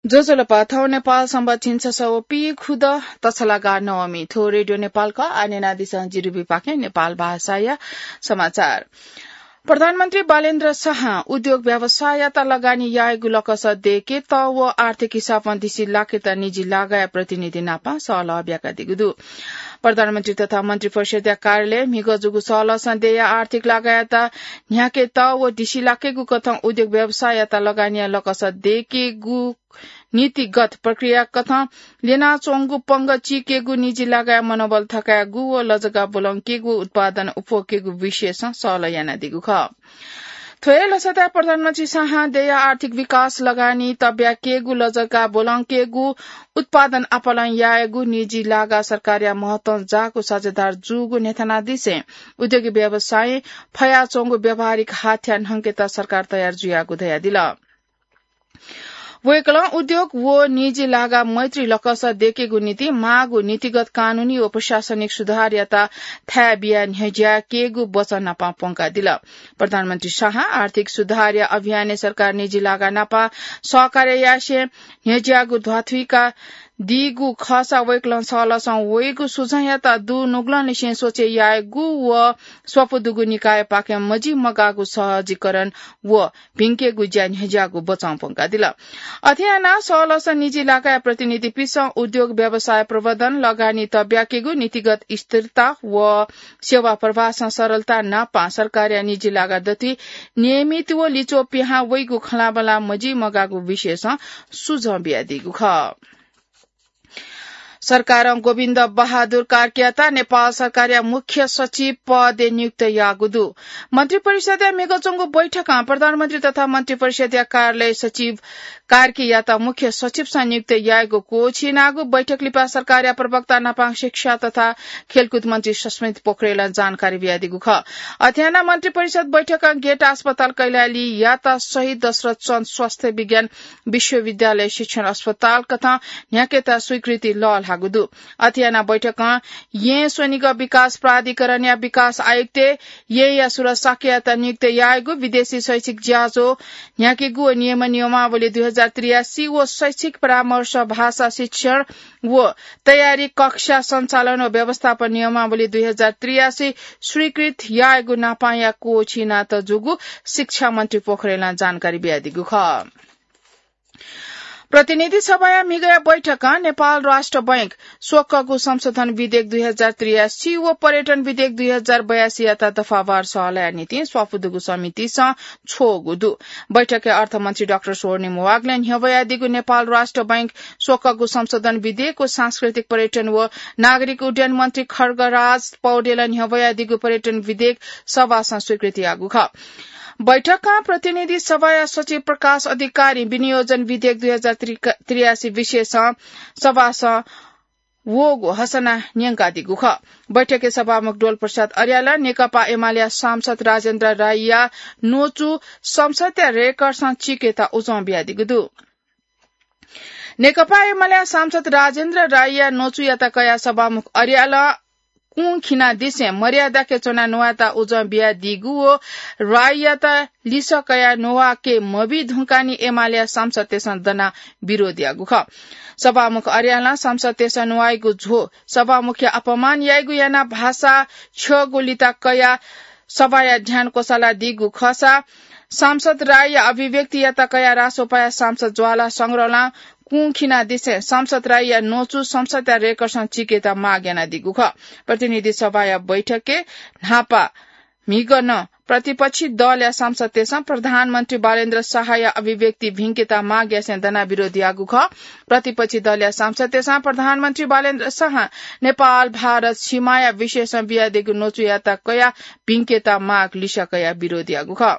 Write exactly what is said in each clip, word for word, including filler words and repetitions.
ज्वजलपा, थौं नेपाल संवत् झिंछसः व पीखुदँ तछलागा नवमी। थ्व रेडियो नेपाल खः। आः न्यनादिसँ जिरुबिपाखें नेपाल भाषाया समाचार। प्रधानमन्त्री बालेन्द्र शाहं उद्योग व्यवसाययात लगानी यायेगु लकस दयेकेत व आर्थिक हिसाबं दिसिलाकेत निजी लागाया प्रतिनिधि नाप सहलह ब्याकादीगु दु। प्रधानमन्त्री तथा मन्त्रिपरिषद्या कार्यालयं म्हिगः जूगु सहलहसं देय्‌या आर्थिक लागायात न्ह्याकेत व दिसिलाकेगु कथं उद्योग व्यवसाययात लगानीया लकस दयेकेगु नीतिगत प्रक्रिया कथं ल्यनाच्वंगु पंगः चीकेगु, निजी लागाया मनोबल थकायेगु व लजगाः ब्वलंकेगु, उत्पादन अप्वःकेगु विषयसं सहलह यानादीगु खः। थ्व हे लसताय् प्रधानमन्त्री शाहं देय्‌या आर्थिक विकास, लगानी तब्याकेगु, लजगाः ब्वलंकेगु, उत्पादन आपालं यायेगु, निजी लागा सरकारया महत्वं जाःगु साझेदार जूगु न्ह्यथनादिसें उद्योगी व्यवसायं फयाच्वंगु व्यावहारिक हाथ्या न्हंकेत सरकार तयार जुयागु धयादिल। वय्‌कलं उद्योग व निजी लागा मैत्री लकस दयेकेगु निंतिं माःगु नीतिगत, कानूनी व प्रशासनिक सुधारयात थाय् बियाः न्ह्यज्याकेगु वचन नाप प्वंकादिल। प्रधानमन्त्री शाहं आर्थिक सुधारया अभियानय् सरकार निजी लागा नाप सहकार्य यासें न्ह्यज्याःगु ध्वाथुइकादीगु खःसा वय्‌कलं सहलहसं वइगु सुझावयात दुनुगलंनिसें सोचे यायेगु व स्वापू दुगु निकायपाखें मजिमगाःगु सहजीकरण व भिंकेगु ज्या न्ह्यज्याःगु वचं प्वंकादिल। अथे यानाः सहलहसं निजी लागाया प्रतिनिधिपिन्सं उद्योग व्यवसाय प्रवर्धन, लगानी तब्याकेगु, नीतिगत स्थिरता व सेवा प्रवाहसं सरलता नाप सरकारया निजी लागा दथुइ नियमित व लिच्वः पिहां वइगु खँल्हाबल्हा मजिमगाःगु विषयसं सुझाव बियादीगु खः। सरकारं गोविन्द बहादुर कार्कीयात नेपाल सरकारया मुख्य सचिव पदय् नियुक्त याःगु दु। मन्त्रिपरिषदया म्हिगः च्वंगु बैठकं प्रधानमन्त्री तथा मन्त्रिपरिषदया कार्यालय सचिव कार्कीयात मुख्य सचिवसं नियुक्त यायेगु क्वःछिनागु बैठक लिपा सरकारया प्रवक्ता नापं शिक्षा तथा खेलकुद मन्त्री सस्मित पोखरेलं जानकारी बियादीगु खः। अथे यानाः मन्त्रिपरिषद बैठकं गेटा अस्पताल कैलालीयात शहीद दशरथ चन्द स्वास्थ्य विज्ञान विश्वविद्यालय शिक्षण अस्पताल कथं न्ह्याकेत स्वीकृति लःल्हाःगु दु। अथे यानाः बैठकं येँ स्वनिगः विकास प्राधिकरणया विकास आयुक्त येँया सुरज शाक्ययात नियुक्त यायेगु, विदेशी शैक्षिक ज्याझ्वः न्ह्याकेगु व नियम नियमावली दुई हजार त्रियासी व शैक्षिक परामर्श, भाषा शिक्षण व तयारी कक्षा सञ्चालन व व्यवस्थापन नियमावली दुई हजार त्रियासी स्वीकृत यायेगु नापंया क्वःछिना तःजूगु शिक्षा मन्त्री पोखरेलं जानकारी बियादीगु खः। प्रतिनिधि सभाया म्हिगःया बैठकं नेपाल राष्ट्र बैंक स्वकःगु संशोधन विधेयक दुई हजार त्रियासी व पर्यटन विधेयक दुई हजार बयासीयात दफावार सहलहया निंतिं स्वापू दुगु समितिसं छ्वःगु दु। बैठकय् अर्थमन्त्री डाक्टर स्वर्णिम वाग्लें न्ह्यब्वयादीगु नेपाल राष्ट्र बैंक स्वकःगु संशोधन विधेयक व सांस्कृतिक पर्यटन व नागरिक उड्डयन मन्त्री खड्गराज पौडेलं न्ह्यब्वयादीगु पर्यटन विधेयक सभासं स्वीकृति याःगु खः। बैठकं प्रतिनिधि सभाया सचिव प्रकाश अधिकारी विनियोजन विधेयक दुई हजार त्रियासी विषयसं सभासं वःगु हसना न्यंकादीगु खः। बैठकय् सभामुख डोल प्रसाद अर्यालं नेकपा एमालेया सांसद राजेन्द्र राईया न्वचु संसदया रेकर्डसं चीकेत उजं बियादीगु दु। नेकपा एमालेया सांसद राजेन्द्र राईया न्वचुयात कयाः सभामुख अर्यालं कुं खिनादिसें मर्यादाके च्वनाः न्ववायेत उजं बियादीगु व राईयात लिसः कयाः न्ववाके मबी धुंकाः नि एमालेया सांसदतय्सं दनाः विरोध याःगु खः। सभामुख अर्यालं सांसदतय्सं न्ववाइगु झ्वः सभामुखया अपमान याइगु यानाः भाषा छ्यःगु लिता कयाः सभाया ध्यान क्वसालादीगु खःसा सांसद राईया अभिव्यक्तियात कयाः रासोपाया सांसद ज्वाला संग्रौलं कुं खिनादिसें सांसद राईया न्वचु संसदया रेकर्डसं चीकेत माग यानादीगु खः। प्रतिनिधि सभाया बैठकय् न्हापा म्हिगः नं प्रतिपक्षी दलया सांसदतय्सं प्रधानमन्त्री बालेन्द्र शाहया अभिव्यक्ति भिंकेत माग यासें दनाः विरोध याःगु खः। प्रतिपक्षी दलया सांसदतय्सं प्रधानमन्त्री बालेन्द्र शाहं नेपाल भारत सीमाया विषयसं बियादीगु न्वचुयात कयाः भिंकेत माग लिसः कयाः विरोध याःगु खः।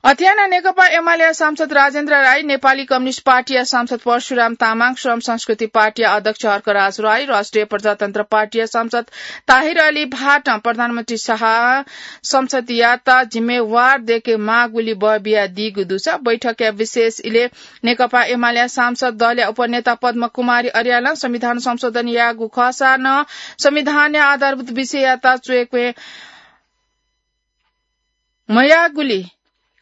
अथे यानाः नेकपा एमालेया सांसद राजेन्द्र राई, नेपाली कम्युनिस्ट पार्टीया सांसद परशुराम तामाङ, श्रम संस्कृति पार्टीया अध्यक्ष हर्कराज राई, राष्ट्रिय प्रजातन्त्र पार्टीया सांसद ताहिर अली भाटं प्रधानमन्त्री शाह संसदयात जिम्मेवार दयेके माःगुली बः बियादीगु दुसा बैठकया विशेष इलय् नेकपा एमालेया सांसद दलया उपनेता पद्म कुमारी अर्यालं संविधान संशोधन याःगु खःसा नं संविधानया आधारभूत विषययात च्वय्के मयाःगुली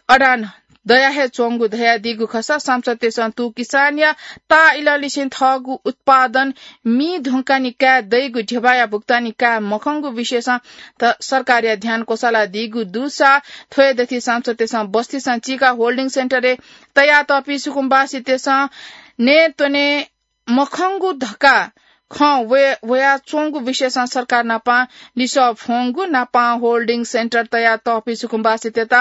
अडान दया हे च्वंगु धयादीगु खःसा सांसदतय्सं तुं किसानया ताःइलंनिसें थःगु उत्पादन मी धुंकानि काये दइगु ध्यबाया भुक्तानी काये मखंगु विषयसं त सरकारया ध्यान क्वसालादीगु दुसा थ्व हे दथि सांसदतय्सं बस्तीसं चीका होल्डिङ सेन्टरय् तयातःपिं सुकुम्बासीतय्सं नये त्वने मखंगु धकाः खँ वये, वयाच्वंगु विषयसं सरकार नापं लिसः फ्वंगु नापं होल्डिङ सेन्टर तयातःपिं सुकुम्बासीतय्त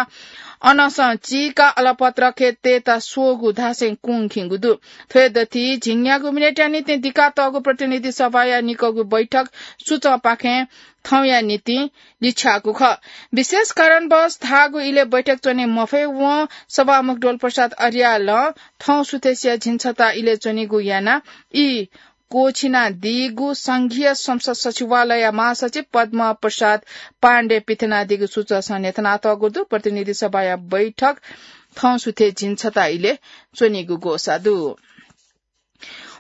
अनंसं चीका अलपत्र खेतय्त स्वःगु धासें कुंखिंगु दु। थ्व हे दथि झिंन्यागू मिनेटया निंतिं दिकातःगु प्रतिनिधि सभाया निकःगु बैठक सुचंपाखें थौंया निंतिं लिछ्याःगु खः। विशेष कारणवश धाःगु इलय् बैठक च्वने मफयेवं सभामुख डोलप्रसाद अर्यालं थौं सुथसिया झिंछता इलय् च्वनीगु यानाः ई क्वःछिनादीगु संघीय संसद सचिवालयया महासचिव पद्म प्रसाद पाण्डे पिथनादीगु सुचसं न्ह्यथनातःगु दु। प्रतिनिधि सभाया बैठक थौं सुथे झिंछता इलय् च्वनीगु ग्वसाः दु।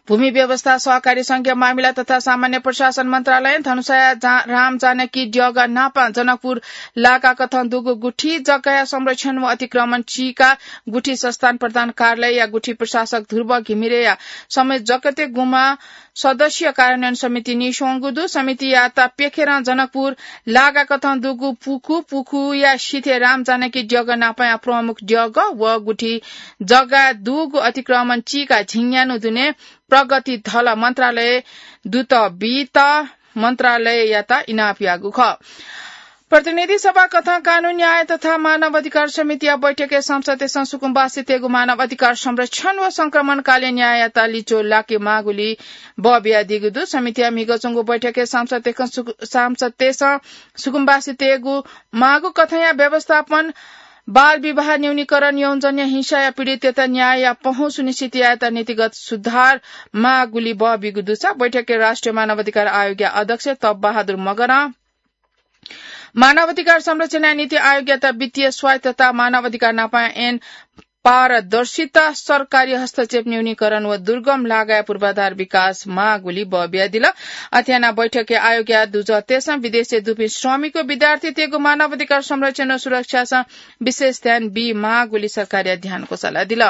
भूमि व्यवस्था, सहकारी संघीय मामिला तथा सामान्य प्रशासन मन्त्रालयं धनुषाया जा-, राम जानकी द्यःगः नापं जनकपुर लागाकथं दुगु गुठी जग्गाया संरक्षण व अतिक्रमण चीका गुठी संस्थान प्रधान कार्यालयया गुठी प्रशासक ध्रुव घिमिरेया समय जगते गुमा सदस्य कार्यान्वयन समिति नीस्वंगु दु। समितियात प्यखेरं जनकपुर लागाकथं दुगु पुखु, पुखुया सिथय् राम जानकी द्यःगः नापंया प्रमुख द्यःगः व गुठी जग्गा दुगु अतिक्रमण चीका झिंन्यान्हु दुने प्रगति धल मन्त्रालय दूत बीत मन्त्रालययात इनाप याःगु खः। प्रतिनिधि सभा कथं कानून, न्याय तथा मानव अधिकार समितिया बैठकय् संसदय्सं सुकुम्बासीतय्गु मानव अधिकार संरक्षण व संक्रमणकालीन न्याययात लिच्वः लाके माःगुलिं बः बियादीगु दु। समितिया म्हिगः च्वंगु बैठकय् संसदय्सं सुकु-, संसदय्सं सुकुम्बासीतय्गु माःगु कथंया व्यवस्थापन, बाल विवाह न्यूनीकरण, यौनजन्य हिंसाया पीडिततय्त न्यायया पहुँ सुनिश्चित यायेत नीतिगत सुधार माःगुलिं बः बीगु दुसा बैठकय् राष्ट्रिय मानव अधिकार आयोगया अध्यक्ष तप बहादुर मगरं मानव अधिकार संरक्षणया निंतिं आयोगयात वित्तीय स्वायत्तता, मानव अधिकार नापं ऐन पारदर्शिता, सरकारी हस्तक्षेप न्यूनीकरण व दुर्गम लागाया पूर्वाधार विकास माःगुलिं बः बियादिल। अथे यानाः बैठकय् आयोगया दुजःतय्सं विदेशय् दुपिं श्रमिक व विद्यार्थीतय्गु मानव अधिकार संरक्षण व सुरक्षासं विशेष ध्यान बी माःगुलिं सरकारया ध्यान क्वसालादिल।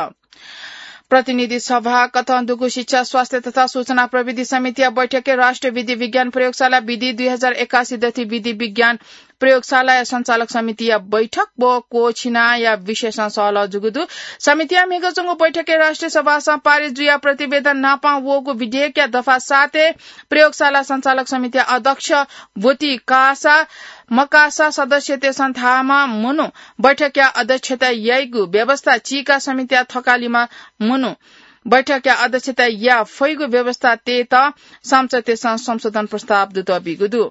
प्रतिनिधि सभा कथं दुगु शिक्षा, स्वास्थ्य तथा सूचना प्रविधि समितिया बैठकय् राष्ट्रिय विधि विज्ञान प्रयोगशाला विधि दुई हजार एकासी दथि विधि विज्ञान प्रयोगशालाया सञ्चालक समितिया बैठक व क्वःछिनाया विषयसं सहलह जूगु दु। समितिया म्हिगः च्वंगु बैठकय् राष्ट्रिय सभासं पारित जुयाः प्रतिवेदन नापं वःगु विधेयकया दफा सातय् प्रयोगशाला सञ्चालक समितिया अध्यक्ष ब्वति कासा मकासा सदस्यतय्सं धाःम्ह मनू बैठकया अध्यक्षता याइगु व्यवस्था चीका समितिया थकालिम्ह मनू बैठकया अध्यक्षता याये फइगु व्यवस्था तयेत संसदतय्सं संशोधन प्रस्ताव दुत बीगु दु।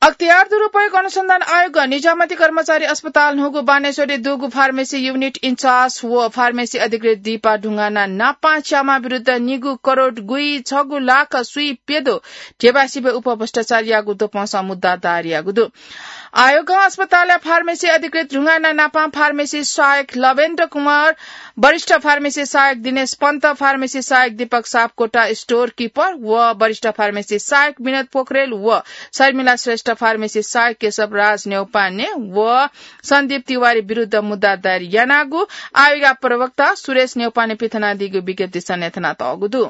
अख्तियार दुरुपयोग अनुसन्धान आयोग निजामती कर्मचारी अस्पताल न्हूगु बानेश्वरय् दुगु फार्मेसी युनिट इन्चार्ज व फार्मेसी अधिकृत दीपा ढुङ्गाना नापं च्यामा विरुद्ध निगू करोड गुइछगू लाख स्वीप्यदँ ध्यबा सिबय् उपभ्रष्टाचार याःगु द्वपंसं मुद्दा दायर याःगु दु। आयोगं अस्पतालया फार्मेसी अधिकृत ढुङ्गाना नापं फार्मेसी सहायक लवेन्द्र कुमार, वरिष्ठ फार्मेसी सहायक दिनेश पन्त, फार्मेसी सहायक दीपक सापकोटा, स्टोर किपर व वरिष्ठ फार्मेसी सहायक विनोद पोखरेल व शर्मिला श्रेष्ठ, फार्मेसी सहायक केशव राज न्यौपाने व सन्दीप तिवारी विरुद्ध मुद्दा दायर यानागु आयोगया प्रवक्ता सुरेश न्यौपाने पिथनादीगु विज्ञप्तिसं न्ह्यथनातःगु दु।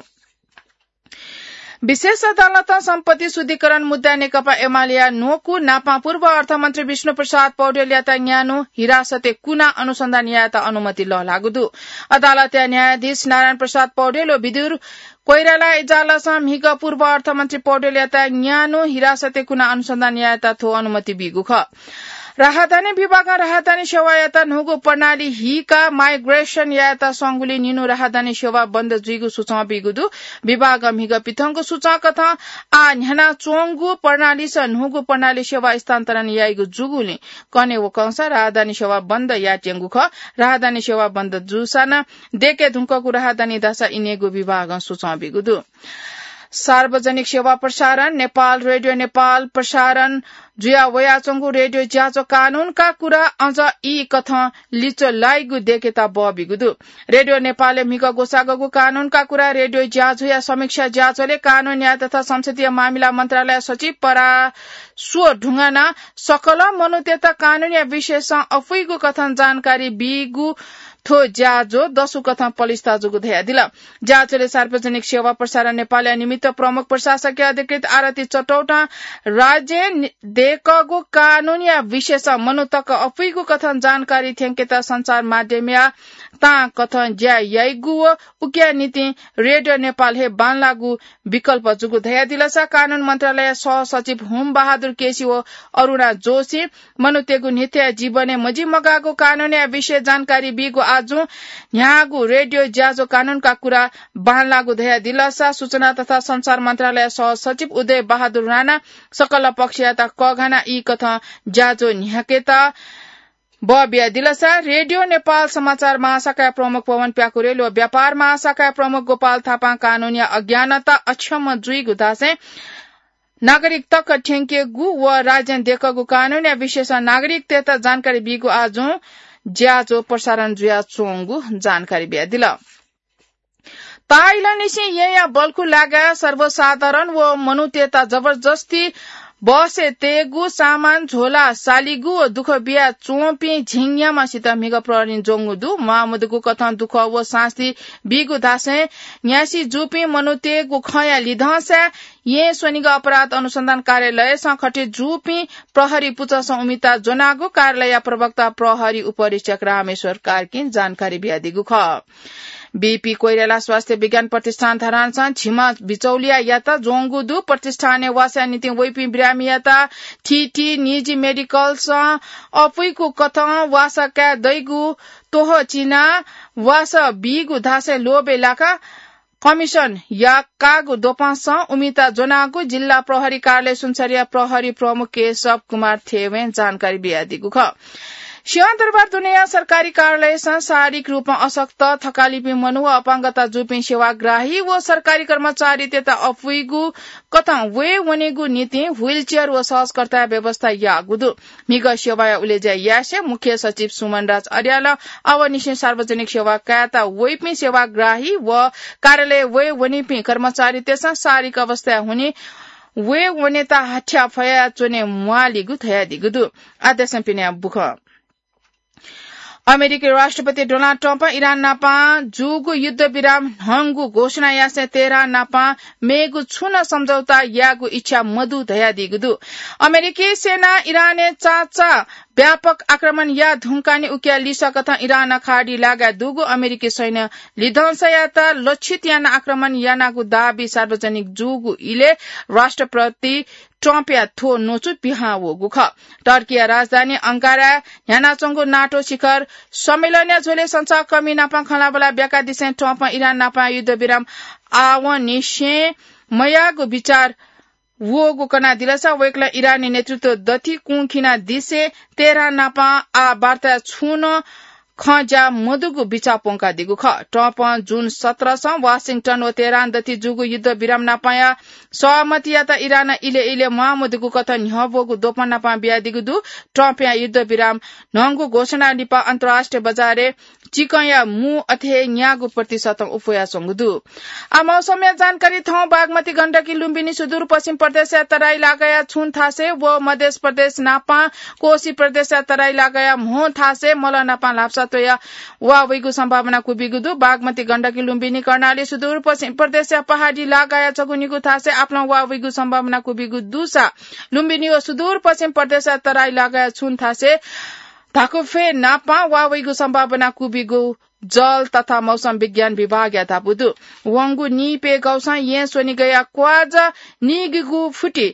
विशेष अदालतं सम्पत्ति शुद्धिकरण मुद्दाय् नेकपा एमालेया न्वकू नापं पूर्व अर्थमन्त्री विष्णुप्रसाद पौडेलयात न्यान्हु हिरासतय् कुना अनुसन्धान यायेत अनुमति लःल्हाःगु दु। अदालतया न्यायाधीश नारायण प्रसाद पौडेल व विदुर कोइराला इजालसं म्हिगः पूर्व अर्थमन्त्री पौडेलयात न्यान्हु हिरासतय् कुना अनुसन्धान यायेत थ्व अनुमति बीगु खः। राहदानी विभागं राहदानी सेवायात न्हूगु प्रणाली हीकाः माइग्रेसन यायेत संगुलिं निन्हु राहदानी सेवा बन्द जुइगु सुचं बीगु दु। विभागं म्हिगः पिथंगु सुचं कथं आः न्ह्यानाच्वंगु प्रणालीस न्हूगु प्रणाली सेवा स्थानान्तरण याइगु जूगुलिं कन्हय् वकंसा राहदानी सेवा बन्द यायेत्यंगु खः। राहदानी सेवा बन्द जूसा नं दय्के धुंकूगु राहदानी धाःसा इनेगु विभागं सुचं बीगु दु। सार्वजनिक सेवा प्रसारण नेपाल, रेडियो नेपाल प्रसारण जुया वयाच्वंगु रेडियो ज्याझ्वः कानूनका कुरा अझ ई कथं लिच्वः लाइगु देकेत बबिगु दु। रेडियो नेपालय् म्हिगः ग्वसाःगु कानूनका कुरा रेडियो ज्याझ्वःया समीक्षा ज्याझ्वलय् कानून न्याय तथा संसदीय मामिला मन्त्रालय सचिव पराश्व ढुङ्गानां सकल मनूतय्त कानूनया विषयसं अपुइगु कथं जानकारी बीगु थ्व ज्याझ्वः दसु कथं पलिस्था जूगु धयादिल। ज्याझ्वलय् सार्वजनिक सेवा प्रसारण नेपालया निमित्त प्रमुख प्रशासकीय अधिकृत आरती चटौटां राज्यय् नि-, देकःगु कानूनया विषयसं मनूतक अपुइगु कथं जानकारी थ्यंकेत सञ्चार माध्यमया तां कथं ज्या याइगु व उकिया निंतिं रेडियो नेपाल हे बांलाःगु विकल्प जूगु धयादिलसा कानून मन्त्रालय सहसचिव हुम बहादुर केसी व अरुणा जोशी मनूतय्गु नित्य जीवनय् मजिमगाःगु कानूनया विषय जानकारी बीगु आजुं न्ह्याःगु रेडियो ज्याझ्वः कानूनका कुरा बांलाःगु धयादिलसा सूचना तथा सञ्चार मन्त्रालय सहसचिव उदय बहादुर राणा सकल पक्षयात कःघाना ई कथं ज्याझ्वः न्ह्याकेत बबियादिलसा रेडियो नेपाल समाचार महाशाखाया प्रमुख पवन प्याकुरेल व व्यापार महाशाखाया प्रमुख गोपाल थापां कानूनया अज्ञानता अक्षम जुइगु धासें नागरिकतक थ्यंकेगु व राज्यं देकःगु कानूनया विषयसं नागरिकतय्त जानकारी बीगु आजुं ज्याझ्वः प्रसारण जुयाच्वंगु जानकारी बियादिल। ताःइलंनिसें येँया बल्खु लागाय् सर्वसाधारण व मनूतय्त जबरजस्ती बसय् तयेगु, सामान झोला सालीगु व दुःख बिया च्वंपिं झिंन्याम्हसित म्हिगः प्रहरीं ज्वंगु दु। म्वाःमदुगु कथं दुःख व सास्ती बीगु धासें न्यासि जूपिं मनूतय्गु खँया लिधंसाय् येँ स्वनिगः अपराध अनुसन्धान कार्यालयसं खटे जूपिं प्रहरी पुचःसं उमिता ज्वनागु कार्यालयया प्रवक्ता प्रहरी उपरीक्षक रामेश्वर कार्कीं जानकारी बियादीगु खः। बीपी कोइराला स्वास्थ्य विज्ञान प्रतिष्ठान धरानसं झिम्ह बिचौलियायात ज्वंगु दु। प्रतिष्ठानय् वासया निंतिं वइपिं बिरामीयात थीथी निजी मेडिकलसं अपुइकु कथं वासः काये दइगु त्वहः चिनाः वासः बीगु धासें लोभय् लाकाः कमिसन याकाःगु द्वपंसं उमिता ज्वनागु जिल्ला प्रहरी कार्यालय सुनसरीया प्रहरी प्रमुख केशव कुमार थेवें जानकारी बियादीगु खः। सिंहदरबार दुनेया सरकारी कार्यालयसं शारीरिक रूपं अशक्त, थकालिपिं मनू व अपाङ्गता जूपिं सेवाग्राही व सरकारी कर्मचारीतय्त अपुइगु कथं वये वनेगु निंतिं wheelchair व सहजकर्ताया व्यवस्था याःगु दु। म्हिगः सेवाया उलेज्या यासें मुख्य सचिव सुमन राज अर्यालं आवंनिसें सार्वजनिक सेवा कायेत वइपिं सेवाग्राही व कार्यालय वये वनीपिं कर्मचारीतय्सं शारीरिक अवस्थाय् हुनिं वये वनेत हाथ्या फया च्वने म्वालीगु धयादीगु दु। आः देशं पिनेया बुखँ। अमेरिकी राष्ट्रपति डोनाल्ड ट्रम्पं इरान नापं जूगु युद्धविराम न्हंगु घोषणा यासें तेहरान नापं मेगु छुं नं सम्झौता यायेगु इच्छा मदु धयादीगु दु। अमेरिकी सेनां इरानय् चाचा व्यापक आक्रमण याये धुंकाः नि उकिया लिसः कथं इरानं खाडी लागाय् दुगु अमेरिकी सैन्य लिधंसायात लक्षित यानाः आक्रमण यानागु दाबी सार्वजनिक जूगु इलय् राष्ट्रपति ट्रम्पया थ्व न्वचु पिहां वःगु खः। टर्कीया राजधानी अंकाराय् न्ह्यानाच्वंगु नाटो शिखर सम्मेलनया झ्वलय् संचारकर्मी नाप खँल्हाबल्हा ब्याकादिसें ट्रम्पं इरान नाप युद्धविराम आवंनिसें मयाःगु बिचाः वःगु कनादिलसा वय्कलं इरानी नेतृत्व दथि कुंखिनादिसें तेहरान नाप आः वार्ताय् छुं नं खँ ज्या मदुगु बिचाः प्वंकादीगु खः। ट्रम्पं जुन सत्रसं वाशिंटन व तेहरान दथि जूगु युद्धविराम नापया सहमतियात इरानं इलय् इलय् म्वाःमदुगु कथं न्ह्यब्वःगु द्वपं नाप बियादीगु दु। ट्रम्पया युद्धविराम न्हंगु घोषणा लिपा अन्तर्राष्ट्रिय बजारय् चिकंया मू अथे हे न्यागू प्रतिशतं उफयाच्वंगु दु। आः मौसमया जानकारी थौं। बागमती, गण्डकी, लुम्बिनी, सुदूरपश्चिम प्रदेशया तराई लागाया छुं थासय् व मध्य प्रदेश नापं कोशी प्रदेशया तराई लागाया म्हो थासय् मलः नापं ल्हापसा त्वया वा वइगु सम्भावना क्वबिगु दु। बागमती, गण्डकी, लुम्बिनी, कर्णाली, सुदूरपश्चिम प्रदेशया पहाडी लागाया छगू निगू थासय् आपालं वा वइगु सम्भावना क्वबिगु दुसा लुम्बिनी व सुदूरपश्चिम प्रदेशया तराई लागाया छुं थासय् धाकुफे नापं वा वइगु सम्भावना क्वबिगु जल तथा मौसम विज्ञान विभागया धापू दु। वंगु नीप्यघौसं येँ स्वनिगया क्वाज नीगिगु फुति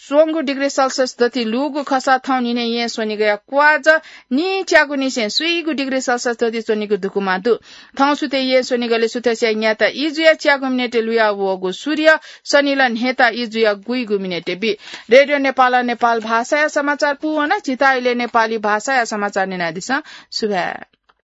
स्वंगु डिग्री सेल्सियस दथि लूगु खःसा थौं न्हिनय् येँ स्वनिगया क्वाज नीच्यागुनिसें स्वीगु डिग्री सेल्सियस दथि च्वनीगु दुकुमा दु। थौं सुथय् येँ स्वनिगलय् सुथसिया न्याता ई जुया च्यागू मिनेटय् लुया वःगु सूर्य सनिलं न्हेता ई जुया गुइगु मिनेटय् बी। रेडियो नेपालं नेपाल भाषाया समाचार पूवन। झीत इलय् नेपाली भाषाया समाचार न्यनादिसँ। सुभाय्।